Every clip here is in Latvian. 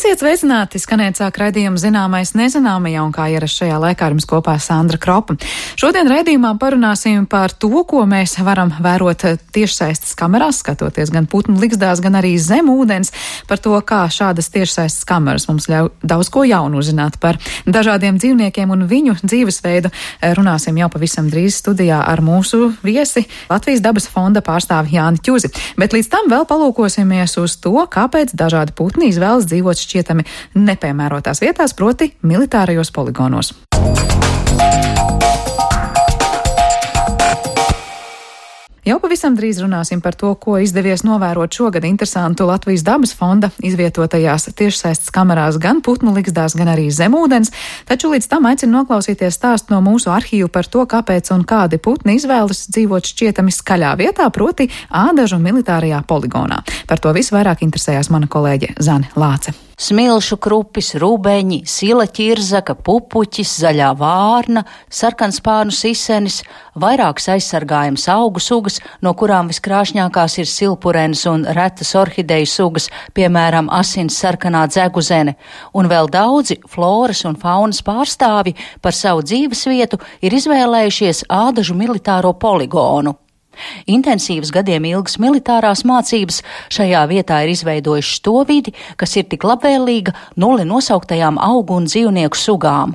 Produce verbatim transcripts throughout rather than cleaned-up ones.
Esiet sveicināti, skanēt sāk raidījumu Zināmais nezināmajā, un kā ierasts šajā laikā ar jums kopā Sandra Kropa. Šodien raidījumā parunāsim par to, ko mēs varam vērot tiešsaistes kamerās, skatoties gan putnu ligzdās, gan arī zem ūdens, par to, kā šādas tiešsaistes kameras mums ļauj daudz ko jaunu uzzināt par dažādiem dzīvniekiem un viņu dzīvesveidu. Runāsim jau pavisam drīz studijā ar mūsu viesi Latvijas dabas fonda pārstāvi Jāni Ķuzi. Bet līdz tam vēl palūkosimies uz to, kāpēc dažādi putni izvēlas dzīvot šķietami nepiemērotās vietās, proti militārajos poligonos. Jau pavisam drīz runāsim par to, ko izdevies novērot šogad interesantu Latvijas dabas fonda izvietotajās tiešsaistes kamerās gan putnu ligzdās, gan arī zemūdens, taču līdz tam aicinu noklausīties stāstu no mūsu arhīvu par to, kāpēc un kādi putni izvēlas dzīvot šķietami skaļā vietā, proti Ādažu militārajā poligonā. Par to visu vairāk interesējās mana kolēģe Zane Lāce. Smilšu krupis, rubeņi, sila ķirzaka, pupuķis, zaļā vārna, sarkanspārnu sisenis, vairākas aizsargājums augu sugas, no kurām viskrāšņākās ir silpurenes un retas orhideju sugas, piemēram, asins sarkanā dzeguzene, un vēl daudzi floras un faunas pārstāvi par savu dzīvesvietu ir izvēlējušies Ādažu militāro poligonu. Intensīvas gadiem ilgas militārās mācības šajā vietā ir izveidojušas to vidi, kas ir tik labvēlīga nulli nosauktajām augu un dzīvnieku sugām.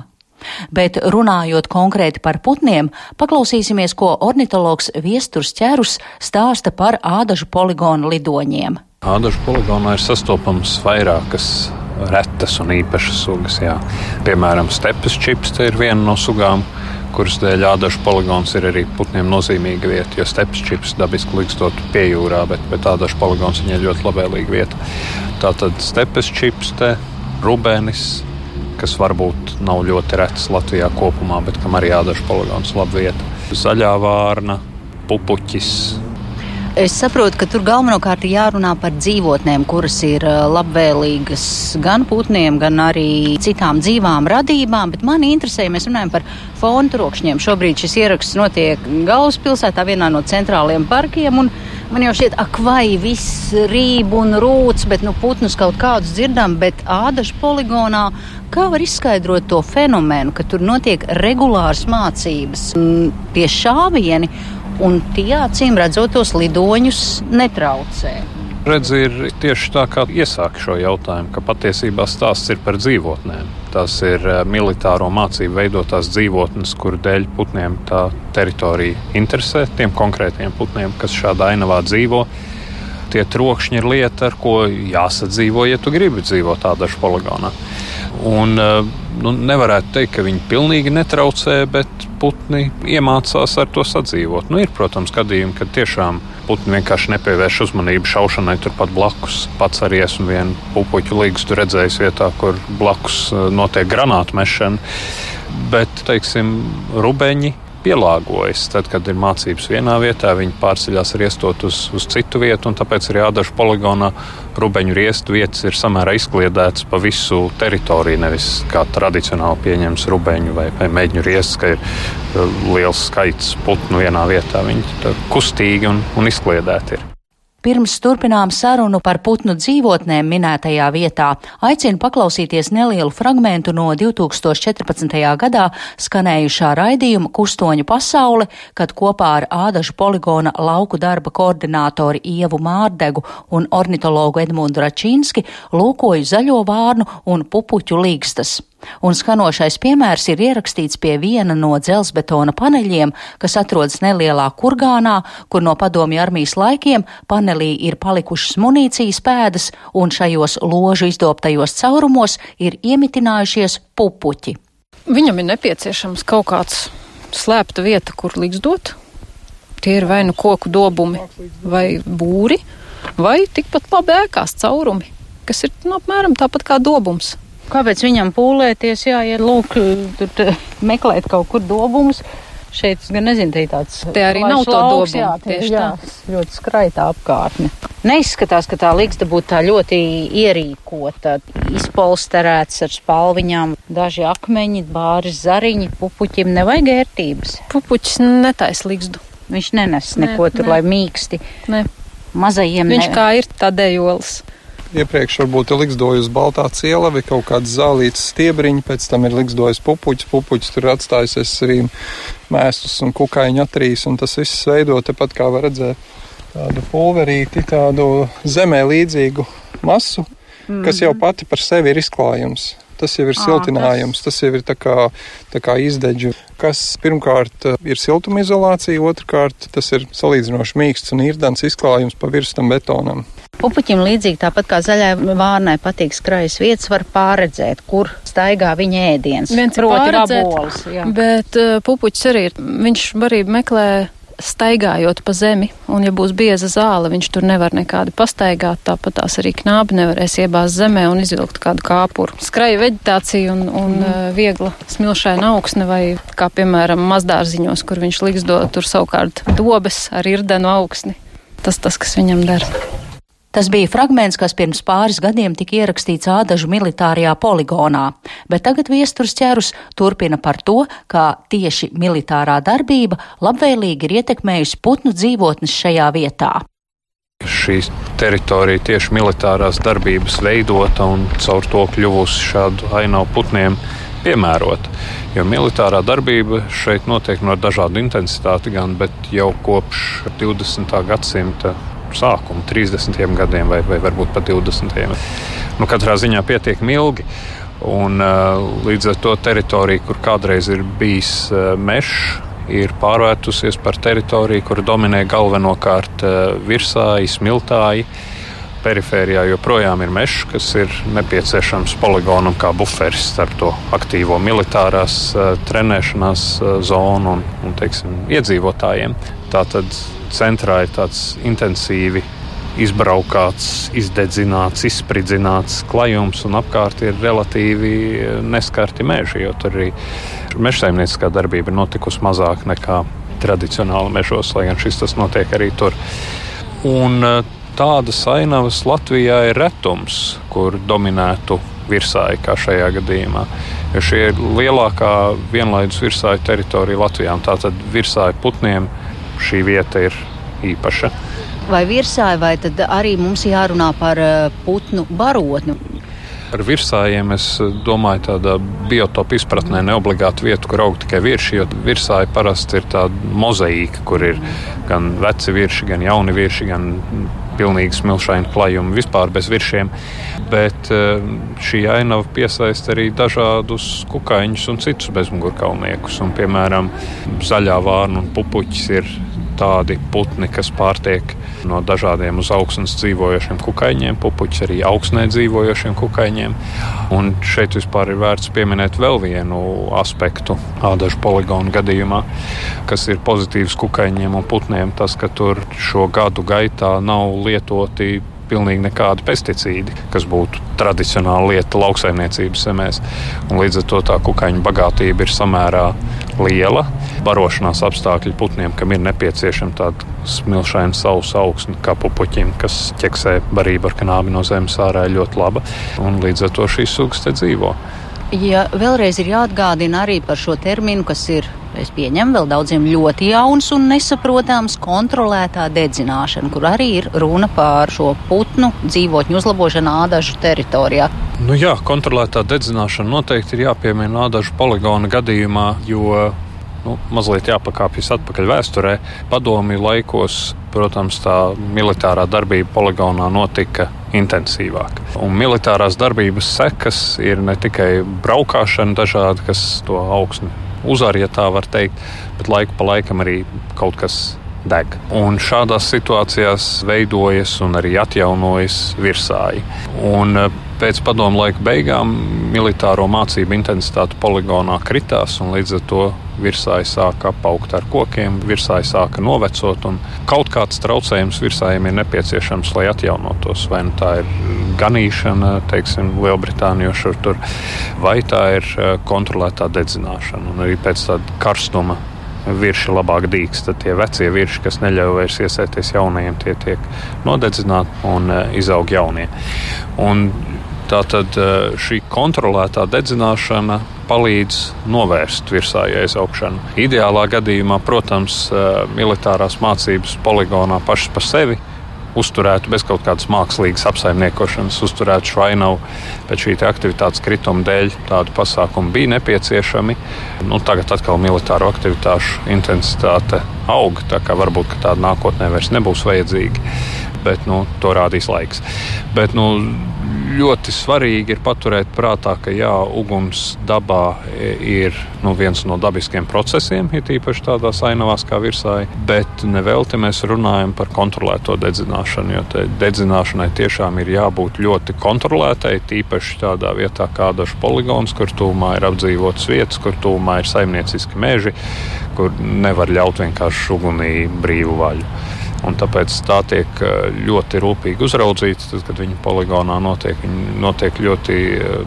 Bet runājot konkrēti par putniem, paklausīsimies, ko ornitologs Viesturs Ķerus stāsta par Ādažu poligonu lidoņiem. Ādažu poligonā ir sastopams vairākas retas un īpašas sugas, jā. Piemēram, stepes čipste ir viena no sugām, kuras dēļ Ādažu poligons ir arī putniem nozīmīga vieta, jo stepes čips dabiski likstot pie jūrā, bet, bet Ādažu poligons viņai ļoti labvēlīga vieta. Tātad stepes čipste, rubenis, kas varbūt nav ļoti rets Latvijā kopumā, bet kam arī Ādažu poligons laba vieta. Zaļā vārna, pupuķis. Es saprotu, ka tur galvenokārt jārunā par dzīvotnēm, kuras ir labvēlīgas gan putniem, gan arī citām dzīvām radībām, bet mani interesē, ja mēs runājam par fonu trokšņiem. Šobrīd šis ieraksts notiek galvaspilsētā, vienā no centrāliem parkiem, un man jau šķiet, ak vai viss rīb un rūc, bet nu putnus kaut kādus dzirdam, bet Ādažu poligonā kā var izskaidrot to fenomenu, ka tur notiek regulāras mācības pie šāvieni, un tie, acīm redzot, tos lidoņus netraucē. Redzi, ir tieši tā, kā iesāk šo jautājumu, ka patiesībā stāsts ir par dzīvotnēm. Tās ir militāro mācību veidotās dzīvotnes, kuru dēļ putniem tā teritorija interesē, tiem konkrētiem putniem, kas šādā ainavā dzīvo. Tie trokšņi ir lieta, ar ko jāsadzīvo, ja tu gribi dzīvot Ādažu poligonā. Un nu, nevarētu teikt, ka viņi pilnīgi netraucē, bet putni iemācās ar to sadzīvot. Nu, ir, protams, gadījumi, kad tiešām putni vienkārši nepievērš uzmanību šaušanai turpat blakus. Pats arī esmu vienu pupuķu ligzdu redzējis vietā, kur blakus notiek granātu mešana. Bet, teiksim, rubeņi pielāgojas. Tad, kad ir mācības vienā vietā, viņi pārceļās riestot uz, uz citu vietu, un tāpēc arī Ādažu poligonā rubeņu riestu vietas ir samērā izkliedētas pa visu teritoriju, nevis kā tradicionāli pieņems rubeņu vai, vai meģņu riestus, ka ir liels skaits putnu vienā vietā. Viņi kustīgi un, un izkliedēti ir. Pirms turpinām sarunu par putnu dzīvotnēm minētajā vietā, aicinu paklausīties nelielu fragmentu no divi tūkstoši četrpadsmitajā gadā skanējušā raidījuma Kustoņu pasaule, kad kopā ar Ādažu poligona lauku darba koordinātori Ievu Mārdegu un ornitologu Edmundu Račinski lūkoju zaļo vārnu un pupuķu ligzdas. Un skanošais piemērs ir ierakstīts pie viena no dzelzbetona paneļiem, kas atrodas nelielā kurgānā, kur no padomju armijas laikiem panelī ir palikušas munīcijas pēdas, un šajos ložu izdobtajos caurumos ir iemitinājušies pupuķi. Viņam ir nepieciešams kaut kāds slēpta vieta, kur ligzdot. Tie ir vai nu koku dobumi, vai būri, vai tikpat labi ēkās caurumi, kas ir nu, apmēram tāpat kā dobums. Kāpēc viņam pūlēties, jāiet lūk, tur meklēt kaut kur dobumus? Šeit, es gan nezinu, te tāds... Te arī nav to dobumu, jā, tieši jā, tā. Ļoti skraitā apkārtne. Neizskatās, ka tā ligzda būtu tā ļoti ierīkota, izpolsterēts ar spalviņām, daži akmeņi, bāris zariņi, pupuķim nevajag ērtības. Pupuķis netais ligzdu. Viņš nenes neko ne, tur, ne. Lai mīksti. Ne. Mazajiem Viņš ne... kā ir tādējolis. iepriekš varbūt ir liksdojusi baltā ciela vai kaut kāds zālītas stiebriņi, pēc tam ir liksdojis pupuķis, pupuķis tur atstājusies arī mēstus un kukaiņu atrīs, un tas viss veido tepat, kā var redzēt, tādu pulverīti, tādu zemē līdzīgu masu, mm-hmm. kas jau pati par sevi ir izklājums. Tas jau ir siltinājums, tas jau ir tā kā, tā kā izdeģu, kas pirmkārt ir siltumizolācija, otrkārt tas ir salīdzinoši mīksts un īrdens izklājums pa virstam betonam. Pupuķim līdzīgi tāpat kā zaļai vārnai patīk skrajas vietas, var pārredzēt, kur staigā viņa ēdiens. Viens ir pārredzēt, bet uh, pupuķis arī ir, viņš arī meklē staigājot pa zemi, un ja būs bieza zāle, viņš tur nevar nekādi pastaigāt, tāpat tās arī knābi nevarēs iebāzt zemē un izvilkt kādu kāpuru. Skraja veģetācija un, un mm. viegla smilšaina augsne vai, kā piemēram, mazdārziņos, kur viņš liksdo tur savukārt dobes ar irdenu augsni. Tas tas, kas viņam der. Tas bija fragments, kas pirms pāris gadiem tika ierakstīts Ādažu militārajā poligonā, bet tagad viesturs ķērus turpina par to, kā tieši militārā darbība labvēlīgi ir ietekmējusi putnu dzīvotnes šajā vietā. Šī teritorija tieši militārās darbības veidota un caur to kļuvusi šādu ainavu putniem piemērot, jo militārā darbība šeit notiek no dažādu intensitāti gan, bet jau kopš divdesmitā gadsimta sākuma, trīsdesmitiem gadiem vai, vai varbūt pat divdesmitiem. Nu, katrā ziņā pietiekami ilgi. Un līdz ar to teritorija, kur kādreiz ir bijis mežs, ir pārvērtusies par teritoriju, kur dominē galvenokārt virsāji, smiltāji. Perifērijā joprojām ir mežs, kas ir nepieciešams poligonam kā buferis starp to aktīvo militārās trenēšanās zonu un, un teiksim, iedzīvotājiem. Tātad centrā ir tāds intensīvi izbraukāts, izdedzināts, izspridzināts klajums, un apkārt ir relatīvi neskarti meži, jo tur arī mežsaimnieciskā darbība ir notikusi mazāk nekā tradicionāli mežos, lai gan šis tas notiek arī tur. Un tādas ainavas Latvijā ir retums, kur dominētu virsāji, kā šajā gadījumā. Jo šī ir lielākā vienlaidus virsāju teritorija Latvijā, un tātad virsāju putniem šī vieta ir īpaša. Vai virsāji, vai tad arī mums jārunā par putnu barotni? Ar virsājiem es domāju tādā biotopu izpratnē neobligātu vietu, kur aug tikai virši, jo virsāji parasti ir tāda mozaīka, kur ir gan veci virši, gan jauni virši, gan pilnīgi smilšaini klajumi, vispār bez viršiem. Bet šī ainava piesaista arī dažādus kukaiņus un citus bezmugurkaulniekus. Un, piemēram, zaļā vārna un pupuķis ir tādi putni, kas pārtiek no dažādiem uz augsnes dzīvojošiem kukaiņiem, pupuķis arī augsnē dzīvojošiem kukaiņiem. Un šeit vispār ir vērts pieminēt vēl vienu aspektu Ādažu poligonu gadījumā, kas ir pozitīvs kukaiņiem un putniem, tas, ka tur šo gadu gaitā nav lietoti pilnīgi nekādi pesticīdi, kas būtu tradicionāla lieta lauksaimniecības zemēs. Un līdz ar to tā kukaiņu bagātība ir samērā liela. Barošanās apstākļi putniem, kam ir nepieciešama tāda smilšaina sausa augsne, kā pupuķim, kas ķeksē barību ar knābi no zemes ārā, ir ļoti laba. Un līdz ar to šīs sugas te dzīvo. Ja vēlreiz ir jāatgādina arī par šo terminu, kas ir, es pieņemu, vēl daudziem ļoti jauns un nesaprotams, kontrolētā dedzināšana, kur arī ir runa par šo putnu dzīvotņu uzlabošanu Ādažu teritorijā. Nu jā, kontrolētā dedzināšana noteikti ir jāpiemina Ādažu poligona gadījumā, jo nu, mazliet jāpakāpjas atpakaļ vēsturē. Padomju laikos, protams, tā militārā darbība poligonā notika intensīvāk. Un militārās darbības sekas ir ne tikai braukāšana dažādi, kas to augsni uzvar, ja tā var teikt, bet laiku pa laikam arī kaut kas deg. Un šādās situācijās veidojas un arī atjaunojas virsāji. Un pēc padomu laika beigām militāro mācību intensitāte poligonā kritās, un līdz ar to virsāji sāka apaugt ar kokiem, virsāji sāka novecot, un kaut kāds traucējums virsājiem ir nepieciešams, lai atjaunotos. Vai nu tā ir ganīšana, teiksim, Lielbritānijošur tur, vai tā ir kontrolētā dedzināšana. Un arī pēc tāda karstuma virši labāk dīkst, tad tie vecie virši, kas neļauj vairs iesēties jaunajiem, tie tiek nodedzināti un izaug jaunie. Un tātad šī kontrolētā dedzināšana palīdz novērst virsāju aizaugšanu. Ideālā gadījumā, protams, militārās mācības poligonā pašas par sevi uzturētu bez kaut kādas mākslīgas apsaimniekošanas, uzturētu šo ainavu pēc šī aktivitātes krituma dēļ. Tādu pasākumu bija nepieciešami. Nu, tagad atkal militāro aktivitāšu intensitāte aug, tā kā varbūt ka tāda nākotnē vairs nebūs vajadzīga, bet nu, to rādīs laiks. Bet, nu, ļoti svarīgi ir paturēt prātā, ka jā, uguns dabā ir nu, viens no dabiskiem procesiem, ir īpaši tādās ainavās kā virsāji, bet nevelti mēs runājam par kontrolēto dedzināšanu, jo dedzināšanai tiešām ir jābūt ļoti kontrolētai, tīpaši tādā vietā kā dažs poligons, kur tūmā ir apdzīvotas vietas, kur tūmā ir saimnieciski meži, kur nevar ļaut vienkārši ugunī brīvu vaļu. Un tāpēc tā tiek ļoti rūpīgi uzraudzīta, tad, kad viņa poligonā notiek. Viņa notiek ļoti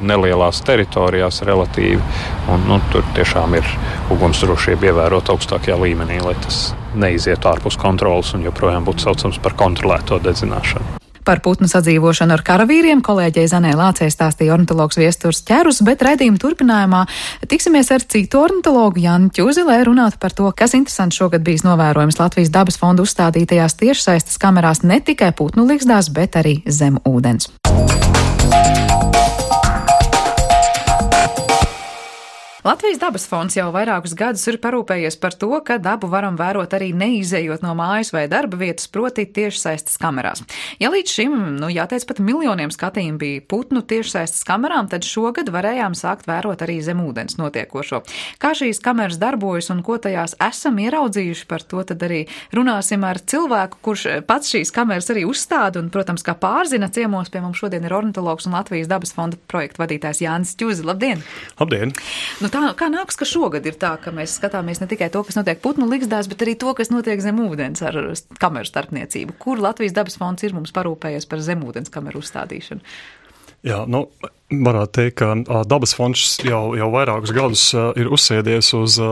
nelielās teritorijās relatīvi, un nu, tur tiešām ir ugunsdrošība ievērot augstākajā līmenī, lai tas neizietu ārpus kontrolas un joprojām būtu saucams par kontrolēto dedzināšanu. Par putnu sadzīvošanu ar karavīriem kolēģei Zanē Lācei stāstīja ornitologs Viesturs Ķerus, bet raidījuma turpinājumā tiksimies ar citu ornitologu Jāni Ķuzi, lai runātu par to, kas interesants šogad bijis novērojams Latvijas dabas fonda uzstādītajās tiešsaistes kamerās ne tikai putnu ligzdās, bet arī zem ūdens. Latvijas dabas fonds jau vairākus gadus ir parūpējies par to, ka dabu varam vērot arī neizejot no mājas vai darba vietas, proti tiešsaistes kamerās. Ja līdz šim, nu jāteic pat miljoniem skatījumu bija putnu tiešsaistes kamerām, tad šogad varējām sākt vērot arī zem ūdens notiekošo. Kā šīs kameras darbojas un ko tajās esam ieraudzījuši, par to tad arī runāsim ar cilvēku, kurš pats šīs kameras arī uzstāda un, protams, kā pārzina. Ciemos pie mums šodien ir ornitologs un Latvijas dabas fonda projektu vadītājs Jānis Ķuzi. Labdien! Labdien! Nu, Tā, kā nāks, ka šogad ir tā, ka mēs skatāmies ne tikai to, kas notiek putnu ligzdās, bet arī to, kas notiek zem ūdens ar kameru starpniecību? Kur Latvijas dabas fonds ir mums parūpējies par zemūdens kameru uzstādīšanu? Jā, nu, varētu teikt, ka dabas fonds jau, jau vairākus gadus ir uzsēdies uz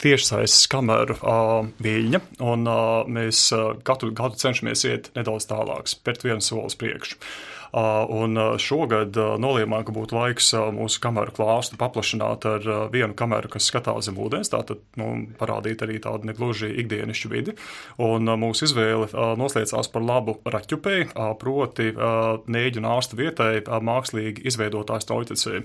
tiešsaistes kameru viļņa, un mēs katru gadu cenšamies iet nedaudz tālāk, spērt vienu soli uz priekšu. Un šogad nolēmām, ka būtu laiks mūsu kameru klāstu paplašināt ar vienu kameru, kas skatās zem ūdens, tātad nu, parādīt arī tādu negluži ikdienišķu vidi. Un mūsu izvēle noslēdzās par labu raķupei, proti Nēģu un Ārsta vietai mākslīgi izveidotās Trautecē.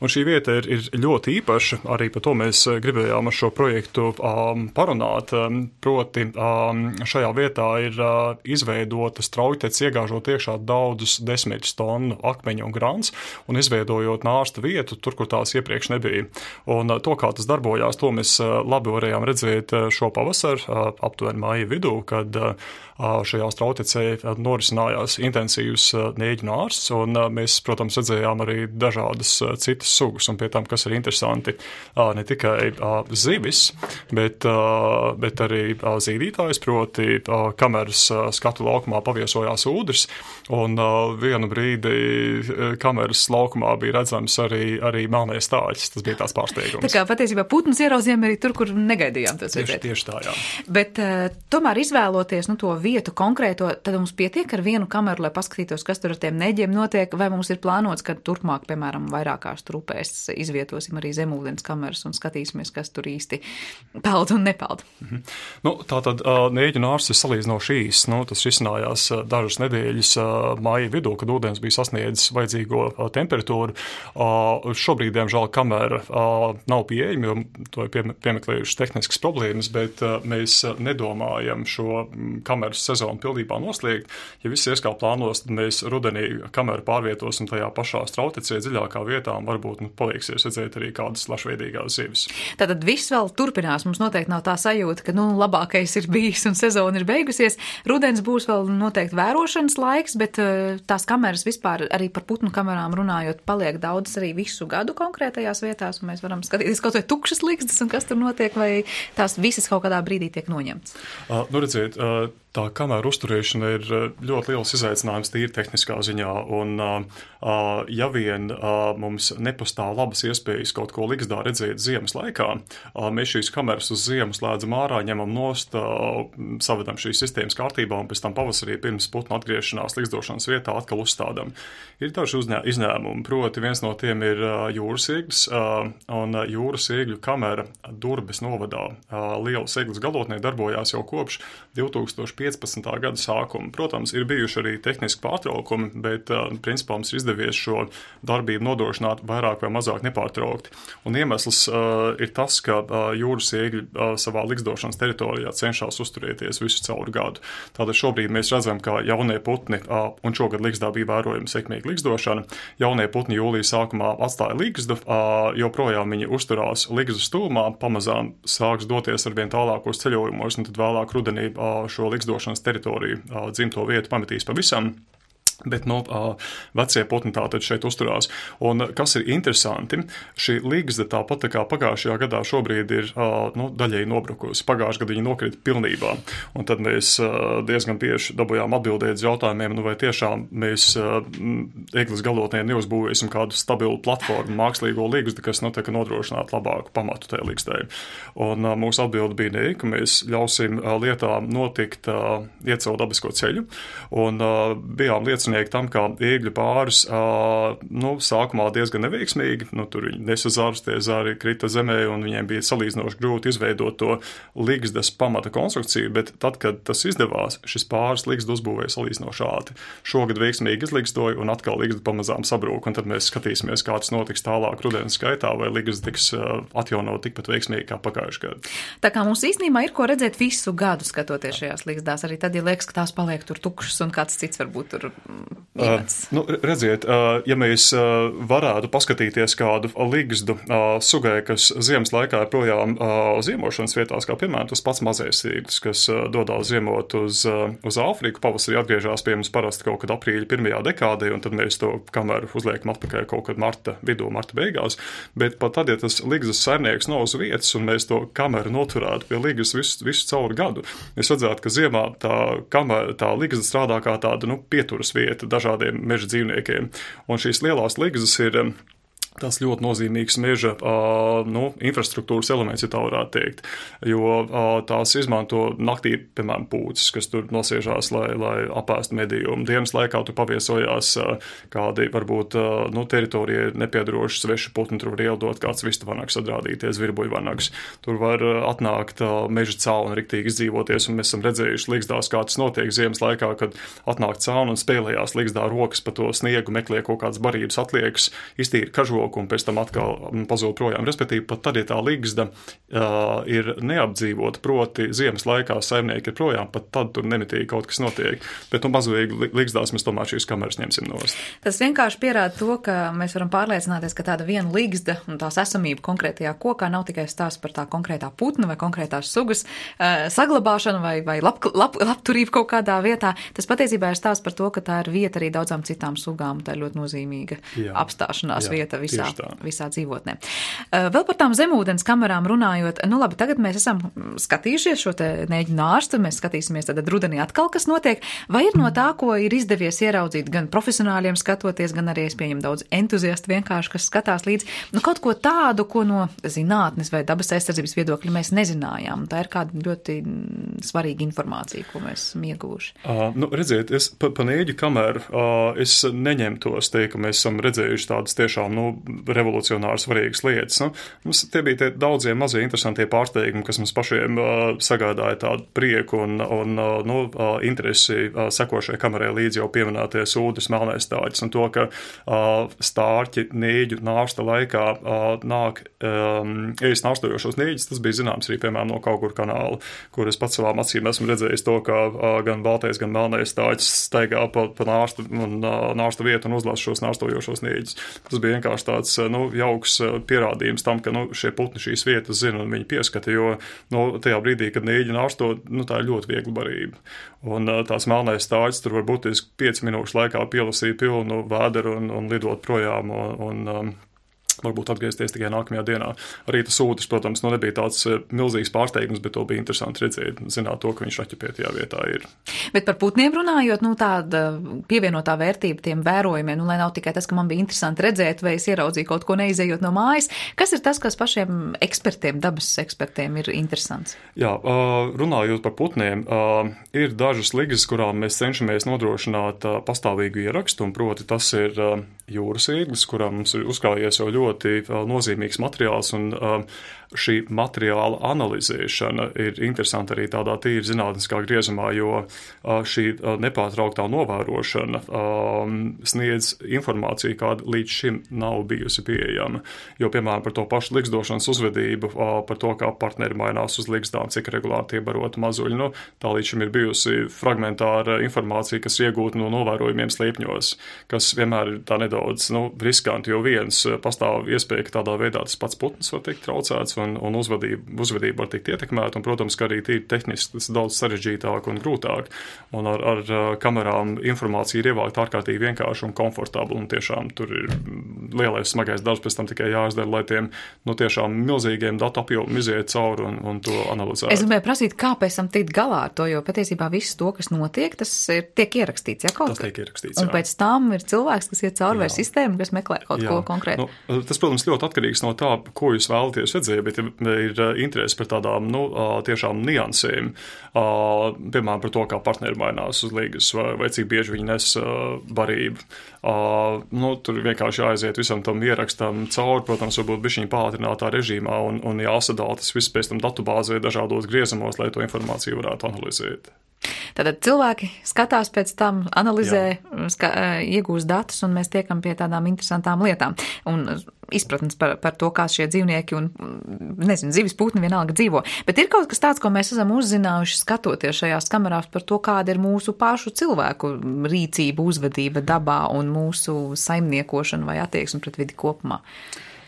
Un šī vieta ir, ir ļoti īpaša, arī par to mēs gribējām ar šo projektu um, parunāt. Proti um, šajā vietā ir uh, izveidotas Trautec, iegāžot iekšā daudzus desmit tonu akmeņu un grants un izveidojot nārsta vietu tur, kur tās iepriekš nebija. Un to, kā tas darbojās, to mēs labi varējām redzēt šo pavasaru, aptuveni māja vidū, kad šajās Trautecē norisinājās intensīvs nēģu nārsts, un mēs, protams, redzējām arī dažādas citas sugas, un pie tam, kas ir interesanti, ne tikai zivis, bet, bet arī zīdītājs, proti kameras skatu laukumā paviesojās ūdens, un vienu brīdi kameras laukumā bija redzams arī, arī melnais stāļs. Tas bija tās pārsteigums. Tā kā patiesībā putnus ieraudzījām arī tur, kur negaidījām tos tieši, redzēt. tieši tā, jā. Bet uh, tomēr izvēloties nu, to vietu konkrēto, tad mums pietiek ar vienu kameru, lai paskatītos, kas tur ar tiem neģiem notiek, vai mums ir plānots, ka turpmāk, piemēram, vairākās trupēs izvietosim arī zemūdens kameras un skatīsimies, kas tur īsti peld un nepeld. Mhm. Nu, tātad uh, Nēģu nārsts ir salīdzinoši īs. Nu, tas risinājās uh, dažas nedēļas uh, māja vidū, kad ūdens bija sasniedzis vajadzīgo uh, temperatūru. Uh, šobrīd, diemžēl, kamera uh, nav pieejama, jo to ir pie, piemeklējušas tehniskas problēmas, bet uh, mēs nedomājam šo kameras sezonu pildībā noslēgt. Ja viss ies kā plānos, tad mēs rudenī kameru pārvietosim tajā pašā Trautecē dziļākā vietā un varbūt nu, palieksies redzēt arī kādas plašveidīgās zivis. Tātad viss vēl turpinās. Mums noteikti nav tā sajūta, ka nu, labākais ir bijis un sezona ir beigusies. Rudens būs vēl noteikti vērošanas laiks, bet uh, tās kameras vispār arī par putnu kamerām runājot paliek daudz arī visu gadu konkrētajās vietās, un mēs varam skatīties kaut vai tukšas likstas un kas tur notiek, vai tās visas kaut kādā brīdī tiek noņemts. Uh, nu redziet, uh, tā kameru uzturēšana ir ļoti liels izaicinājums tīri tehniskā ziņā, un uh, ja vien uh, mums nepastāv labas iespējas kaut ko ligzdā redzēt ziemas laikā, uh, mēs šīs kameras uz ziemu slēdzam ārā, ņemam nost, uh, savedam šīs sistēmas kārtībā un pēc tam pavasarī pirms putnu atgriešanās ligzdošanas vietā atkal uzstādam. Ir daži uzņē, izņēmumi, proti viens no tiem ir uh, jūras ieglis, uh, un uh, jūras iegļu kamera Durbes novadā uh, Lielas Eglis galotnē darbojās jau kopš divtūkstoš piecpadsmitā gada sākuma. Protams, ir bijuši arī tehniski pārtraukumi, bet principā mums ir izdevies šo darbību nodrošināt vairāk vai mazāk nepārtraukti. Un iemesls uh, ir tas, ka uh, jūras iegļi uh, savā ligzdošanas teritorijā cenšas uzturēties visu cauru gadu. Tātad šobrīd mēs redzam, ka jaunie putni, uh, un šogad ligzdā bija vērojama sekmīga ligzdošana, jaunie putni jūlijas sākumā atstāja ligzdu, uh, joprojām viņi uzturās ligzdas tūmā, pamazām sāks doties arvien tālākos ceļojumos, un tad vēlāk rudenī uh, šo ligzdošanas teritoriju, uh, dzimto vietu pametīs pavisam. Bet no uh, vecie putni tātad šeit uzturās. Un kas ir interesanti, šī ligzda tāpat tā kā pagājušajā gadā šobrīd ir uh, nu, daļēji nobrukusi. Pagājušajā gadā viņa nokrita pilnībā. Un tad mēs uh, diezgan bieži dabūjām atbildēt uz jautājumiem, nu vai tiešām mēs uh, Eglis galotnē neuzbūvēsim kādu stabilu platformu, mākslīgo ligzdu, kas nu, tā, nodrošinātu labāku pamatu tajā ligzdē. Un uh, mūsu atbilde bija ne, ka mēs ļausim uh, lietām notikt uh, iet savu dabisko ceļu. Un uh, bijām liecinieki tam, kā ēgļu pāris uh, nu, sākumā diezgan neveiksmīgi, nu, tur viņi nesa zarus, tie zari krita zemē un viņiem bija salīdzinoši grūti izveidot to ligzdas pamata konstrukciju, bet tad, kad tas izdevās, šis pāris ligzdu uzbūvēja salīdzinoši ātri. Šogad veiksmīgi izligzdoja un atkal ligzda pamazām sabrūk, un tad mēs skatīsimies, kā tas notiks tālāk rudens skaitā, vai ligzda tiks uh, atjaunot tikpat veiksmīgi kā pagājušajā gadā. Tā kā mums īstenībā ir ko redzēt visu gadu skatoties šajās ligzdās, arī tad, ja liekas, ka tās paliek tur tukšas un kāds cits varbūt tur Uh, nu, redziet, uh, ja mēs uh, varētu paskatīties kādu ligzdu uh, sugai, kas ziemas laikā ir projām uh, ziemošanas vietās, kā piemēram tas pats mazais zīglis, kas uh, dodās ziemot uz, uh, uz Āfriku, pavasarī atgriežās pie mums parasti kaut kad aprīļa pirmajā dekādē, un tad mēs to kameru uzliekam atpakaļ kaut kad marta vidū, marta beigās, bet pat tad, ja tas ligzdas saimnieks nav uz vietas, un mēs to kameru noturētu pie ligzdas visu, visu cauru gadu, mēs redzētu, ka ziemā tā, kamera, tā ligzda strādā kā tāda, nu, pieturas vieta dažādiem meža dzīvniekiem. Un šīs lielās ligzdas ir tas ļoti nozīmīgs meža uh, nu, infrastruktūras elements, ja tā varētu teikt, jo uh, tās izmanto naktī, piemēram, pūces, kas tur nosiežās, lai, lai apēstu medījumu. Dienas laikā tur paviesojās uh, kādi, varbūt, uh, nu, teritorijai nepiedaroši sveši putni, tur var ieldot kāds vistavanaks, atrādīties virbuļvanaks. Tur var uh, atnākt uh, meža cauni riktīgi izdzīvoties, un mēs esam redzējuši ligzdās, kā tas notiek ziemas laikā, kad atnāk cauni un spēlējās ligzdā rokas pa to sniegu, meklē kaut kādas barības atliekas, iztīra kažo un pēc tam atkal pazūd projām. Respektīvi, pat tad, ja tā ligzda uh, ir neapdzīvota, proti ziemas laikā saimnieki ir projām, pat tad tur nemitīgi kaut kas notiek. Bet, nu, mazvīgi ligzdās mēs tomēr šīs kameras ņemsim nost. Tas vienkārši pierāda to, ka mēs varam pārliecināties, ka tāda viena ligzda un tās esamība konkrētajā kokā nav tikai stāsts par tā konkrētā putna vai konkrētās sugas uh, saglabāšanu vai, vai lab, lab, labturību kaut kādā vietā. Tas patiesībā ir stāsts par to, ka tā ir vieta arī daudzām citām sugām. Tā ir ļoti nozīmīga jā, apstāšanās jā, vieta visā, visā dzīvotnē. Uh, vēl par tām zemūdens kamerām runājot, nu labi, tagad mēs esam skatījušies šo te nēģu nārstu, mēs skatīsimies tad rudenī atkal, kas notiek. Vai ir no tā, ko ir izdevies ieraudzīt gan profesionāļiem skatoties, gan arī es pieņemu daudz entuziastu vienkārši, kas skatās līdzi, nu kaut ko tādu, ko no zinātnes vai dabas aizsardzības viedokļa mēs nezinājām. Tā ir kāda ļoti svarīga informācija, ko mēs esam ieguvuši. Uh, nu, redziet, es pa, pa nēģu kameru uh, es neņemtos teikt, ka mēs esam redzējuši tādas tiešām, nu, revolucionāri svarīgas lietas. Nu, mums tie bija tie daudzie mazie interesantie pārsteigumi, kas mums pašiem uh, sagādāja tādu prieku un, un uh, nu, uh, interesi uh, sekošai kamerai līdz jau pieminētie sūdus melnais stārķis un to, ka uh, stārķi nēģu nārsta laikā uh, nāk um, ēst nārstojošos nēģis. Tas bija zināms arī, piemēram, no Kauguru kanāla, kur es pats savām acīm esmu redzējis to, ka uh, gan baltais, gan melnais stārķis staigā pa, pa nārstu, un, uh, nārstu vietu un uzlasa šos nārstojošos nēģis. Tas bija vienkārši tāds nu, jauks pierādījums tam, ka nu, šie putni šīs vietas zina un viņi pieskata, jo nu, tajā brīdī, kad nēģi nārsto, nu, tā ir ļoti viegla barība. Un tās melnais stārķis tur var būtiski pieci minūšu laikā pielasīt pilnu vēderu un, un lidot projām un, un um, varbūt atgriezties tikai nākamajā dienā. Arī tas sūtis, protams, nu nebija tāds milzīgs pārsteigums, bet to bija interesanti redzēt, zināt to, ka viņš raķepētajā vietā ir. Bet par putniem runājot, nu tāda pievienotā vērtība tiem vērojumiem, nu lai nav tikai tas, ka man bija interesanti redzēt, vai es ieraudzīju kaut ko neizējot no mājas. Kas ir tas, kas pašiem ekspertiem, dabas ekspertiem ir interesants? Jā, runājot par putniem, ir dažas ligzdas, kurām mēs cenšamies nodrošināt pastāvīgu ierakstu, un proti tas ir jūras īglis, kurā mums ir uzkrājies jau ļoti uh, nozīmīgs materiāls, un uh, šī materiāla analizēšana ir interesanta arī tādā tīri zinātniskā griezumā, jo uh, šī uh, nepārtrauktā novērošana uh, sniedz informāciju, kāda līdz šim nav bijusi pieejama. Jo, piemēram, par to pašu ligzdošanas uzvedību, uh, par to, kā partneri mainās uz ligzdām, cik regulāri tie baroti mazuļi, nu, tā līdz šim ir bijusi fragmentāra informācija, kas iegūta no novērojumiem slēpņos, kas vienmēr ir tā nedaudz nu, riskanti, jo viens pastāv iespēja, ka tādā veidā tas pats putns var tikt traucēts un, un uzvedība, uzvedība var tikt ietekmēta, un, protams, ka arī tīri tehniski tas daudz sarežģītāk un grūtāk, un ar, ar kamerām informācija ir ievākt ārkārtīgi vienkārši un komfortabli, un tiešām tur ir lielais smagais darbs pēc tam tikai jāizdara, lai tiem nu, tiešām milzīgiem datu apjomiem iziet cauri un, un to analizēt. Es gribēju prasīt, kā pēc tam tikt galā ar to, jo patiesībā viss to, kas notiek, tas ir, tiek ierakstīts, ja kaut kas? Tas tiek ierakstīts, jā. Un pēc tam ir cilvēks, kas iet cauri vai sistēmu, kas meklē kaut jā. Ko konkrētu. Nu, tas, protams, ļoti atkarīgs no tā, ko jūs vēlaties redzēt, bet ir interesi par tādām, nu, tiešām niansēm, piemēram, par to, kā partneri mainās uz līgas vai, vai cik bieži viņi nes barību. Nu, tur vienkārši jāaiziet visam tam ierakstam cauri, protams, varbūt bišķiņ pātrinātā režīmā un, un jāsadala tas viss pēc tam datubāzē dažādos griezumos, lai to informāciju varētu analizēt. Tātad cilvēki skatās pēc tam, analizē, ska, iegūst datus, un mēs tiekam pie tādām interesantām lietām. Un izpratnes par, par to, kā šie dzīvnieki un, nezinu, zivis putni vienalga dzīvo. Bet ir kaut kas tāds, ko mēs esam uzzinājuši skatoties šajās kamerās par to, kāda ir mūsu pašu cilvēku rīcība, uzvedība dabā un mūsu saimniekošana vai attieksme pret vidi kopumā.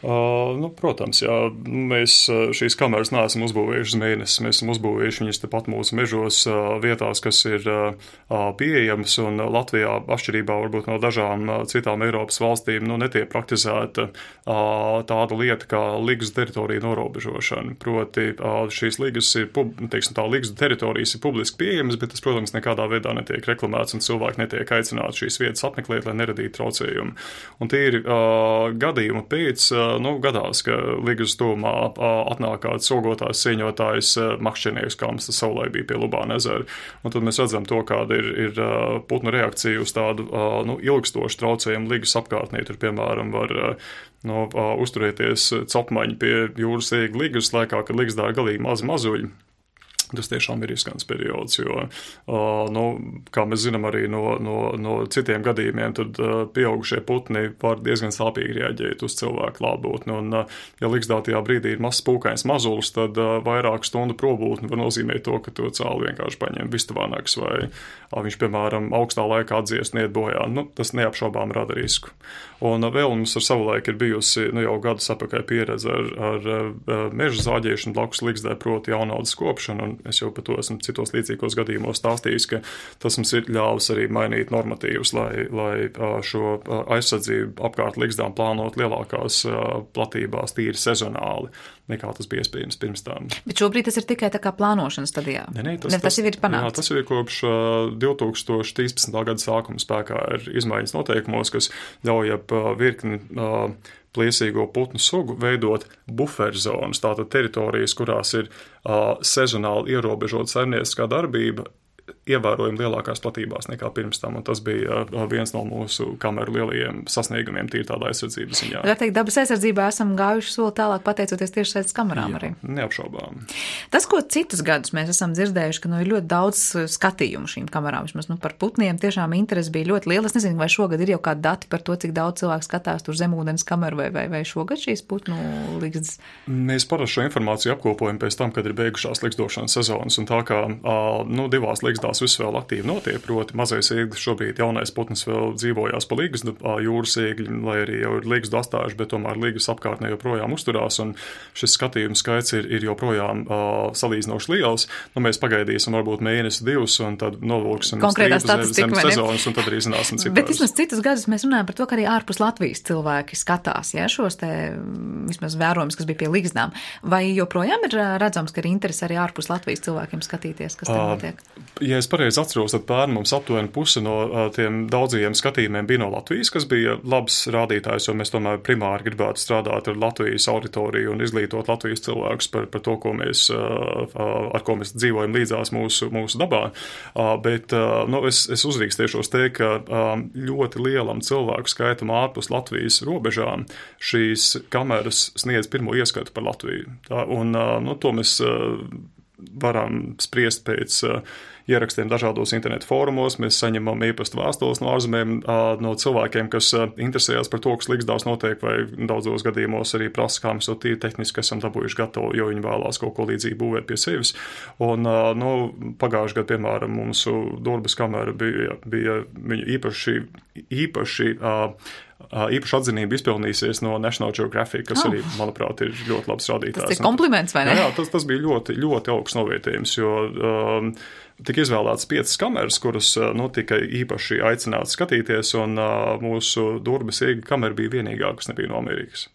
Uh, nu, protams, jā, mēs šīs kameras neesam uzbūvējuši uz mēnesi, mēs esam uzbūvējuši viņas tepat mūsu mežos uh, vietās, kas ir uh, pieejamas, un Latvijā atšķirībā varbūt no dažām uh, citām Eiropas valstīm nu, netiek praktizēta uh, tāda lieta kā ligzdu teritorija norobežošana. Proti uh, šīs ligas ir, teiksim tā, ligzdu teritorijas ir publiski pieejamas, bet tas, protams, nekādā veidā netiek reklamēts un cilvēki netiek aicināti šīs vietas apmeklēt, lai neradītu traucējumu. Un tie ir uh, gadījumi pēc uh, Nu, gadās, ka ligas tuvumā atnāk kāds ogotājs, cīņotājs, makšķernieks, kā mums tas savulaik bija pie Lubāna ezera. Un tad mēs redzam to, kāda ir, ir putnu reakcija uz tādu nu, ilgstošu traucējumu ligas apkārtnī. Tur, piemēram, var nu, uzturēties copmaņi pie jūras ēgļa ligas laikā, kad ligas dāra galīgi mazi mazuļi. Tas tiešām ir riskants periods, jo, uh, nu, kā mēs zinām arī no, no, no citiem gadījumiem, tad uh, pieaugušie putni var diezgan sāpīgi reaģēt uz cilvēku klātbūtni. Un, uh, ja ligzdātajā brīdī ir mazs pūkains mazulis, tad uh, vairāk stundu probūtni var nozīmēt to, ka to cāli vienkārši paņem vistavānāks vai uh, viņš, piemēram, augstā laikā atdziest neiet bojā. Nu, tas neapšaubām rada risku. Un uh, vēl mums ar savu laiku ir bijusi nu, jau gadus apakaļ pieredze ar, ar uh, meža zāģēšanu blakus ligzdē, proti jaunaudas kopšanu. Es jau par to esmu citos līdzīgos gadījumos stāstījis, ka tas mums ir ļāvis arī mainīt normatīvus, lai, lai šo aizsardzību apkārt ligzdām plānot lielākās platībās tīri sezonāli, nekā tas bija iespējams pirms tam. Bet šobrīd tas ir tikai tā kā plānošanas stadijā? Ne, ne, tas, ne, tas, tas jau ir panākts? Jā, tas jau ir kopš divi tūkstoši trīspadsmitā gada sākuma spēkā ir izmaiņas noteikumos, kas ļauj ap virkni plēsīgo putnu sugu veidot buferzonas, tātad teritorijas, kurās ir uh, sezonāli ierobežota saimnieciskā darbība, ievērojami lielākās platībās nekā pirms tam, un tas bija uh, viens no mūsu kameru lielajiem sasniegumiem tīri tādā aizsardzības ziņā. Var teikt, dabas aizsardzībā esam gājuši soli tālāk pateicoties tiešsaistes kamerām. Jā, arī. Neapšaubām. Tas, ko citus gadus mēs esam dzirdējuši, ka nu ir ļoti daudz skatījumu šīm kamerām, vismaz nu, par putniem tiešām interesi bija ļoti liela. Es nezinu, vai šogad ir jau kādi dati par to, cik daudz cilvēku skatās tur zemūdens kameru, vai, vai, vai šogad šīs putnu ligzdas? Mēs parasti šo informāciju apkopojam pēc tam, kad ir beigušās ligzdošanas sezonas, un tā kā uh, nu, divās ligzdās viss vēl aktīvi notiek, proti mazais ēglis šobrīd jaunais putns vēl dzīvojās pa ligzdu, jūras ēgļi, lai arī jau ir ligzdu astājuši, bet tomēr ligzdas apkārtnē joprojām uzturās, un šis skatījums skaits ir, ir joprojām uh, salīdzinoši liels. Nu, mēs pagaidīsim varbūt mēnesi divus, un tad novilksim strīpu zem sezonas, un tad arī zināsim ciparus. Bet vismaz citus gadus mēs runājam par to, ka arī ārpus Latvijas cilvēki skatās, ja, šos te vismaz vērojumus, kas bija pie ligzdām. Vai joprojām ir redzams, ka ir interesi arī ārpus Latvijas cilvēkiem skatīties, kas te notiek? Uh, Ja es pareizi atceros, tad pērn mums aptuveni puse no uh, tiem daudzajiem skatījumiem bija no Latvijas, kas bija labs rādītājs, jo mēs tomēr primāri gribētu strādāt ar Latvijas auditoriju un izglītot Latvijas cilvēkus par, par to, ko mēs, uh, ar ko mēs dzīvojam līdzās mūsu, mūsu dabā. Uh, bet uh, nu, es, es uzrīkstiešos teikt, ka um, ļoti lielam cilvēku skaitam ārpus Latvijas robežām šīs kameras sniedz pirmo ieskatu par Latviju. Tā, un uh, nu, to mēs uh, varam spriest pēc uh, ierakstiem dažādos internetu fórumos. Mēs saņemam e-pasta vēstules no ārzemēm, uh, no cilvēkiem, kas uh, interesējas par to, kas Ligzdās notiek, vai daudzos gadījumos arī prasa, kā mēs to tīri tehniski esam dabūjuši gatavu, jo viņi vēlās kaut ko līdzīgi būvēt pie sevis. Un uh, nu, pagājuši gadu, piemēram, mūsu Durbas kamera bija, bija viņa īpaši, īpaši uh, īpaši atzinība izpelnīsies no National Geographic, kas oh. arī, manuprāt, ir ļoti labs rādītājs. Tas ir kompliments, vai ne? Jā, tas, tas bija ļoti, ļoti augsts novērtējums, jo um, tika izvēlētas piecas kameras, kuras nu, tika īpaši aicināts skatīties, un uh, mūsu Durbas Iega kamera bija vienīgā, kas nebija no Amerikas.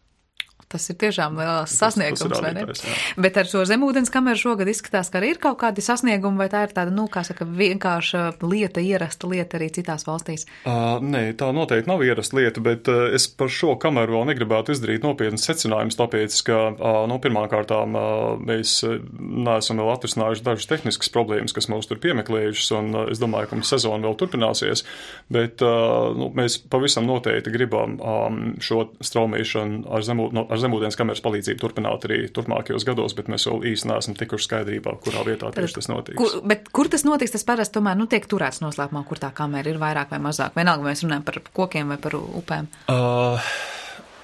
Tas ir tiešām liels sasniegums, tas, tas vai ne? Jā. Bet ar šo zemūdens kameru šogad izskatās, ka arī ir kaut kādi sasniegumi, vai tā ir tāda, nu, kā saka, vienkārša lieta, ierasta lieta arī citās valstīs? Uh, nē, tā noteikti nav ierasta lieta, bet uh, es par šo kameru vēl negribētu izdarīt nopietnas secinājumus, tāpēc, ka, uh, nu, pirmkārtām uh, mēs neesam vēl atrisinājuši dažas tehniskas problēmas, kas mūs tur piemeklējušas, un uh, es domāju, ka mums sezona vēl turpināsies, bet uh, nu, mēs pavisam noteikti gribam um, šo straumēšanu ar zemu, no, ar zemūdens kameras palīdzību turpināt arī turpmākajos gados, bet mēs vēl īsti neesam tikuši skaidrībā, kurā vietā tieši tas notiks. Kur, bet kur tas notiks, tas parasti tomēr nu, tiek turēts noslēpumā, kur tā kamera ir vairāk vai mazāk? Vienalga, mēs runājam par kokiem vai par upēm. Uh...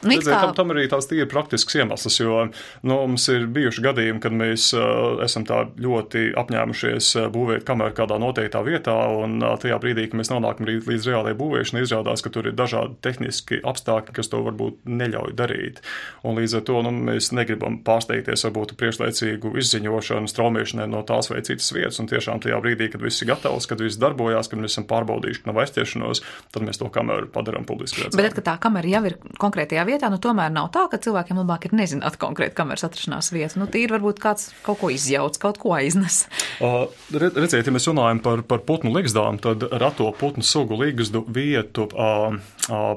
Redzēt, tam, tam arī tās tīri praktisks iemesls, jo nu, mums ir bijuši gadījumi, kad mēs uh, esam tā ļoti apņēmušies uh, būvēt kameru kādā noteiktā vietā, un uh, tajā brīdī, kad mēs nonākam līdz, līdz reālajai būvēšanai, izrādās, ka tur ir dažādi tehniski apstākļi, kas to varbūt neļauj darīt. Un līdz ar to nu, mēs negribam pārsteigties varbūt priekšlaicīgu izziņošanu, straumēšanai no tās vai citas vietas, un tiešām tajā brīdī, kad viss ir gatavs, kad viss darbojās, kad mēs esam pārbaudījuši, ka nav aizķeršanos, tad mēs to kameru padarām publiski redzēt. Bet, kad tā kamera jau ir konkrētajā vietā, nu tomēr nav tā, ka cilvēkiem labāk ir nezināt konkrēti kameras atrašanās vietu. Nu, tīri varbūt kāds kaut ko izjauc, kaut ko aiznes. Uh, redziet, ja mēs runājam par, par putnu ligzdām, tad rato putnu sugu ligzdu vietu uh, uh,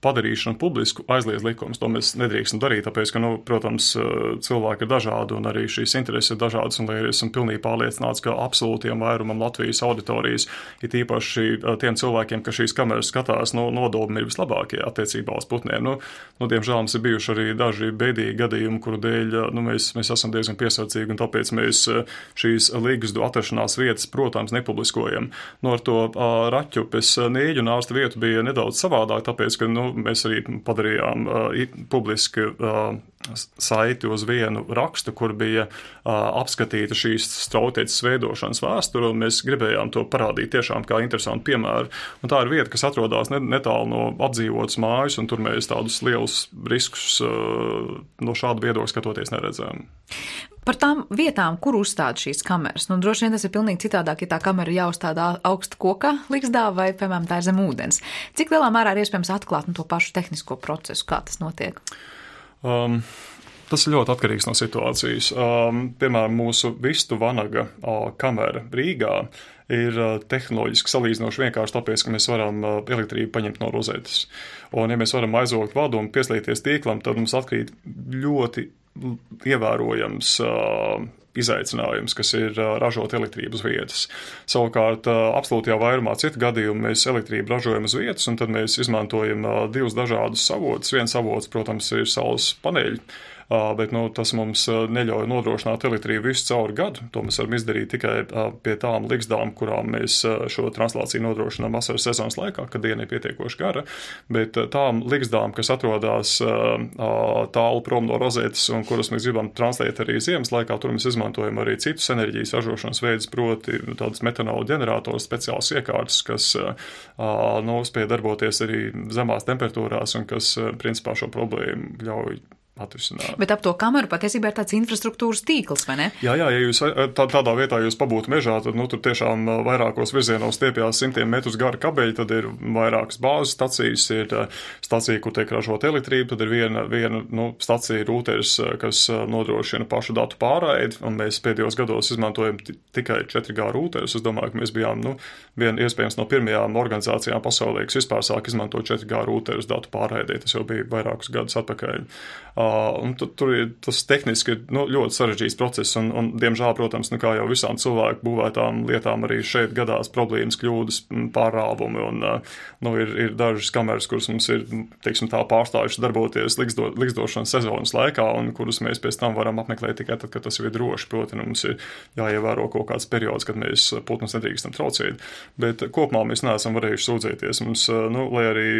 padarīšanu publisku aizliedz likums. To mēs nedrīkstam darīt, tāpēc, ka, nu, protams, cilvēki ir dažādi un arī šīs intereses ir dažādas, un lai esam pilnīgi pārliecināts, ka absolūtiem vairumam Latvijas auditorijas, ir īpaši tiem cilvēkiem, ka šīs kameras skatās, nu, nodobumi ir vislabākie attiecībā uz putniem. Nu, nu, diemžēl mums ir bijuši arī daži bēdīgi gadījumi, kuru dēļ, nu, mēs, mēs esam diezgan piesardzīgi, un tāpēc mēs šīs ligzdu atrašanās vietas, protams, nepubliskojam. Nu, ar to uh, raķupes nēģu un ārsta vietu bija nedaudz savādāk, tāpēc, ka, nu, mēs arī padarījām uh, publiski uh, saiti uz vienu rakstu, kur bija uh, apskatīta šīs strautieces veidošanas vēsture, un mēs gribējām to parādīt tiešām kā interesantu piemēru. Un tā ir vieta, kas atrodas netālu no apdzīvotas mājas, un tur mēs tādus lielus riskus uh, no šāda viedokļa skatoties neredzējām. Par tām vietām, kur uzstāda šīs kameras, nu droši vien tas ir pilnīgi citādāk, ja tā kamera jāuzstāda augsta koka ligzdā vai, piemēram, tā ir zem ūdens. Cik lielā mērā ir iespējams atklāt nu, to pašu tehnisko procesu, kā tas notiek? Um, tas ir ļoti atkarīgs no situācijas. Um, piemēram, mūsu vistu vanaga uh, kamera Rīgā ir uh, tehnoloģiski salīdzinoši vienkārši tāpēc, ka mēs varam uh, elektrību paņemt no rozetes. Un ja mēs varam aizvogt vadu un pieslēgties tīklam, tad mums atkrīt ļoti ievērojams uh, izaicinājums, kas ir uh, ražot elektrību uz vietas. Savukārt, uh, absolūtajā vairumā citu gadījumu mēs elektrību ražojam uz vietas, un tad mēs izmantojam uh, divus dažādus avotus. Viens avots, protams, ir saules paneļi, uh, bet nu, tas mums uh, neļauj nodrošināt elektrību visu cauri gadu. To mēs varam izdarīt tikai uh, pie tām ligzdām, kurām mēs uh, šo translāciju nodrošinām vasaras sezonas laikā, kad diena ir pietiekoši gara, bet uh, tām ligzdām, kas atrodas uh, uh, tālu prom no rozetes un kuras mēs gribam translēt arī ziemas laikā, tur mēs izmantojam arī citus enerģijas ražošanas veidus, proti tādas metanola ģenerators, speciāls iekārtas, kas uh, nu, spēj darboties arī zemās temperatūrās un kas uh, principā šo problēmu ļauj atrisināt. Bet ap to kameru patiesībā ir tāds infrastruktūras tīkls, vai ne? Jā, jā, ja jūs tā, tādā vietā jūs pabūtu mežā, tad nu, tur tiešām vairākos virzienos stiepjās simtiem metrus gara kabeļi, tad ir vairākas bāzes stacijas, ir stacija, kur tiek ražot elektrību, tad ir viena, viena nu, stacija rūteris, kas nodrošina pašu datu pārraidi, un mēs pēdējos gados izmantojam t- tikai četri G rūteris. Es domāju, ka mēs bijām nu, vien iespējams no pirmajām organizācijām pasaulē, kas vispār sāk izmantot četri G rūteris datu pārraidē. Tas jau bija vairākus gadus atpakaļ. Uh, un tu, tur ir tas tehniski nu, ļoti sarežģīts process, un, un diemžēl, protams, nu, kā jau visām cilvēku būvētām lietām, arī šeit gadās problēmas, kļūdas, pārāvumi, un uh, nu, ir, ir dažas kameras, kuras mums ir, teiksim tā, pārstājušas darboties liksto, likstošanas sezonas laikā, un kuras mēs pēc tam varam apmeklēt tikai tad, kad tas jau ir droši, proti, nu, mums ir jāievēro kaut kāds periods, kad mēs putnus nedrīkstam traucēt, bet kopumā mēs neesam varējuši sūdzēties. Mums, nu, lai arī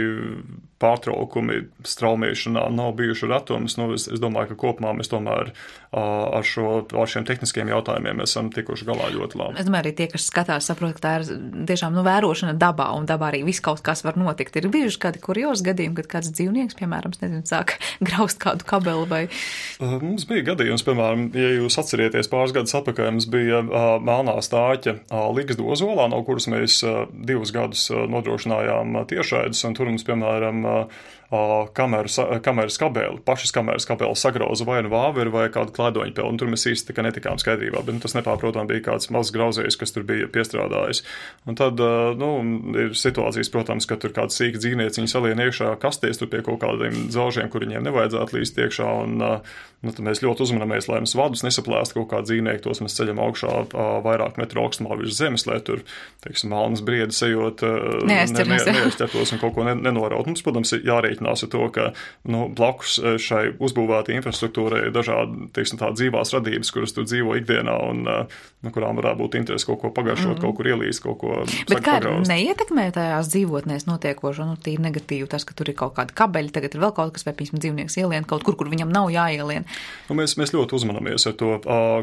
pārtraukumi straumēšanā nav bijuši ratums, nu, es, es domāju, ka kopumā mēs tomēr uh, ar, šo, ar šiem tehniskiem jautājumiem esam tikuši galā ļoti labi. Es domāju, arī tie, kas skatās, saprot, ka tā ir tiešām nu, vērošana dabā, un dabā arī viss kaut kas var notikt. Ir bijuši kādi kuriozi gadījumi, kad kāds dzīvnieks, piemēram, nezinu, sāk graust kādu kabeli vai... Uh, mums bija gadījums, piemēram, ja jūs atcerieties pāris gadus atpakaļ, mums bija uh, melnā stāķa uh, Ligzdu ozolā, no kuras mēs uh, divus gadus uh, nodrošinājām uh, tiešraidus, un tur mums, piemēram, uh, Kameras, kameras kabeli, pašas kameras kabeli sagrauza vai nu vāveri vai kādu klēdoņu peli, un tur mēs īsti tikai netikām skaidrībā, bet nu, tas nepārprotam bija kāds mazs grauzējs, kas tur bija piestrādājis. Un tad, nu, ir situācijas, protams, ka tur kāds sīks dzīvnieciņi salien iekšā kastēs tur pie kaut kādiem dzelžiem, kur viņiem nevajadzētu līst iekšā, un nu, tad mēs ļoti uzmanamies, lai mums vadus nesaplēst kaut kādu dzīvnieku, tos mēs ceļam augšā vairāk metru augstumā virs zemes, lai tur, teiksim, malnas briedis ejot, neaizķertos un kaut ko nenoraut. Mums, protams, ir jārēķinās ar to, ka nu, blakus šai uzbūvētai infrastruktūrai ir dažādi, teiksim, tā dzīvās radības, kuras tur dzīvo ikdienā un nu, kurām varētu būt interesi kaut ko pagaršot, mm. kaut kur ielīst, kaut ko Bet kā pagraust. Neietekmē tajās dzīvotnēs notiekošo, nu, tīri negatīvi tas, ka tur ir kaut kāda kabeļa, tagad ir vēl kaut kas, vai, piemēram, dzīvnieks ielien kaut kur, kur viņam nav jāielien. Nu, mēs, mēs ļoti uzmanamies ar to.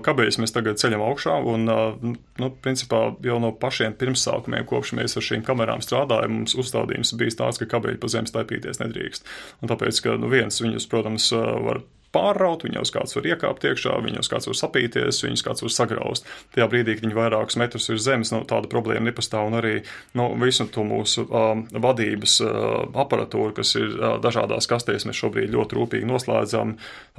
Kabeļus mēs tagad ceļam augšā un, nu, principā jau no pašiem pirmsākumiem, kopš mēs ar šīm kamerām strādājam, mums uzstādījums bijis tāds, ka kabeļi pa zemi staipīties nedrīkst. Un tāpēc, ka nu, viens viņus, protams, var pārraut, viņos kāds var iekāpt iekšā, viņos kāds var sapīties, viņus kāds var sagraust. Tajā brīdī, kad viņi vairākus metrus ir zemes, nu, tāda problēma nepastāv, un arī nu, visu to mūsu uh, vadības uh, aparatūru, kas ir uh, dažādās kastēs, mēs šobrīd ļoti rūpīgi noslēdzam,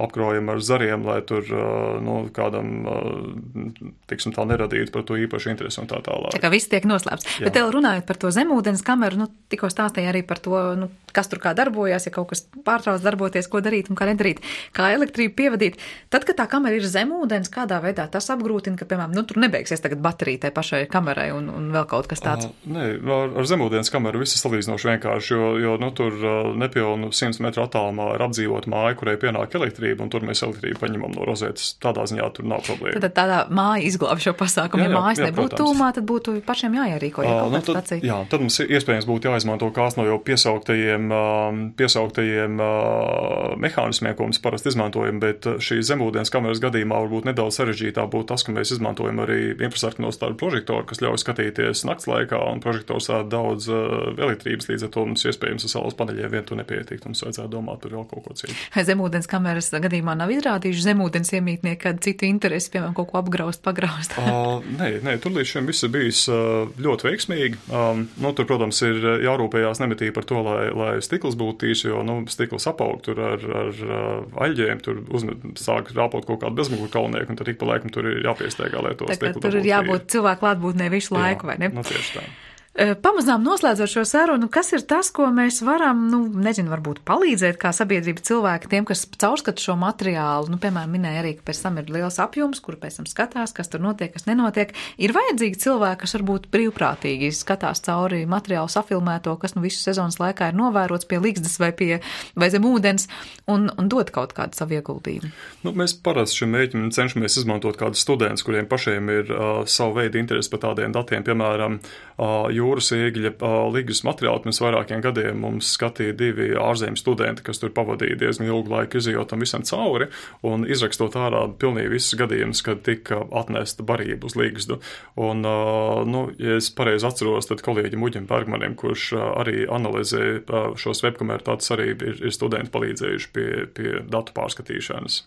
apkrojam ar zariem, lai tur uh, nu, kādam, uh, tiksim tā, neradītu par to īpaši interesi un tā tālāk. Tā kā viss tiek noslēpts. Jā. Bet tev runājot par to zemūdens kameru, nu, tikko stāstīja arī par to, nu, kas tur kā darbojās, ja kaut kas pārtrauc darboties, ko darīt un kā nedarīt. Kā elektrību pievadīt. Tad, kad tā kamera ir zem ūdens, kādā veidā tas apgrūtina, ka, piemēram, nu, tur nebeigsies tagad baterija tai pašai kamerai un, un vēl kaut kas tāds? Uh, nē, ar, ar zemūdens kameru viss ir salīdzinoši vienkārši, jo, jo nu, tur uh, nepilnu simts metru attālumā ir apdzīvota māja, kurai pienāk elektrība, un tur mēs elektrību paņemam no rozetes. Tādā ziņā tur nav problēma. Tad tādā māja izglāb šo pasākumu. Jā, jā, ja mājas jā, nebūtu tūmā, tad būtu pašiem jāierīko, ja kaut uh, nu, kāda stacija. Jā, tad mums iespējams būtu jāizmanto kāds no jau piesauktajiem, uh, piesauktajiem uh, mehānismiem, ko mēs parasti izmantojam, bet šī zemūdens kameras gadījumā varbūt nedaudz sarežģītāk būtu tas, ka mēs izmantojam arī infrasarkanos tādu prožektoru, kas ļauj skatīties nakts laikā, un prožektors ād daudz uh, elektrības, līdz ar to mums iespējams ar saules paneļiem vien to nepietikt, mums vajadzētu domāt par vēl kaut ko citu. Zemūdens kameras gadījumā nav izrādījuši zemūdens iemītnieki kādu citu interesi, piemēram, kaut ko apgraust, pagraust? uh, nē, nē, tur līdz šim viss ir bijis uh, ļoti veiksmīgi. Um, nu, tur, protams, ir jārūpējās nemitīgi par to, lai, lai stikls būtu tīrs, jo, nu, stikls apaug tur ar, ar uh, aļģiem, tur uzmet sāk rāpot kaut kādu bezmuguru kalnieku, un tad ik pa laikam tur ir jāpiestaigā, lai to stiklu dabūtu. Tur ir jābūt cilvēku klātbūtnē visu laiku, vai ne? Nu, tieši tā. Pamazām noslēdzot šo sarunu, kas ir tas, ko mēs varam, nu, nezinu, varbūt palīdzēt kā sabiedrība cilvēki tiem, kas caurskata šo materiālu, nu, piemēram, minēja arī, ka pēc tam ir liels apjoms, kuru pēc tam skatās, kas tur notiek, kas nenotiek. Ir vajadzīgi cilvēki, kas varbūt brīvprātīgi skatās cauri materiālu safilmēto, kas nu visu sezonas laikā ir novērots pie Ligzdas vai pie vai zem ūdens, un, un dot kaut kādu savu ieguldījumu. Nu, mēs parasti šim mēģinam cenšamies izmantot kādus studentus, kuriem pašiem ir uh, savu veidu interesi par tādiem datiem, piemēram, uh, jūras ēgļa ligas materiāli pirms vairākiem gadiem mums skatīja divi ārzemju studenti, kas tur pavadīja diezgan ilgu laiku izejot tam visam cauri un izrakstot ārā pilnīgi visus gadījumus, kad tika atnesta barība uz ligzdu. Un, nu, ja es pareizi atceros, tad kolēģim Uģim Bergmanim, kurš arī analizē šos webkameru datus, arī ir, ir studenti palīdzējuši pie, pie datu pārskatīšanas.